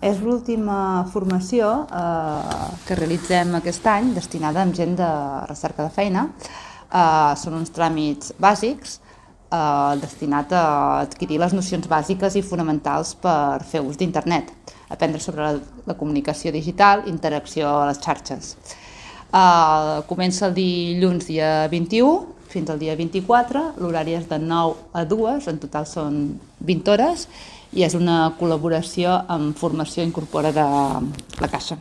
És l'última formació que realitzem aquest any destinada a gent de recerca de feina. Són uns tràmits bàsics destinats a adquirir les nocions bàsiques i fonamentals per fer ús d'internet, aprendre sobre la comunicació digital i interacció a les xarxes. Comença el dilluns dia 21 fins al dia 24, l'horari és de 9 a 2, en total són 20 hores, i és una col·laboració amb Formació Incorpora de la Caixa.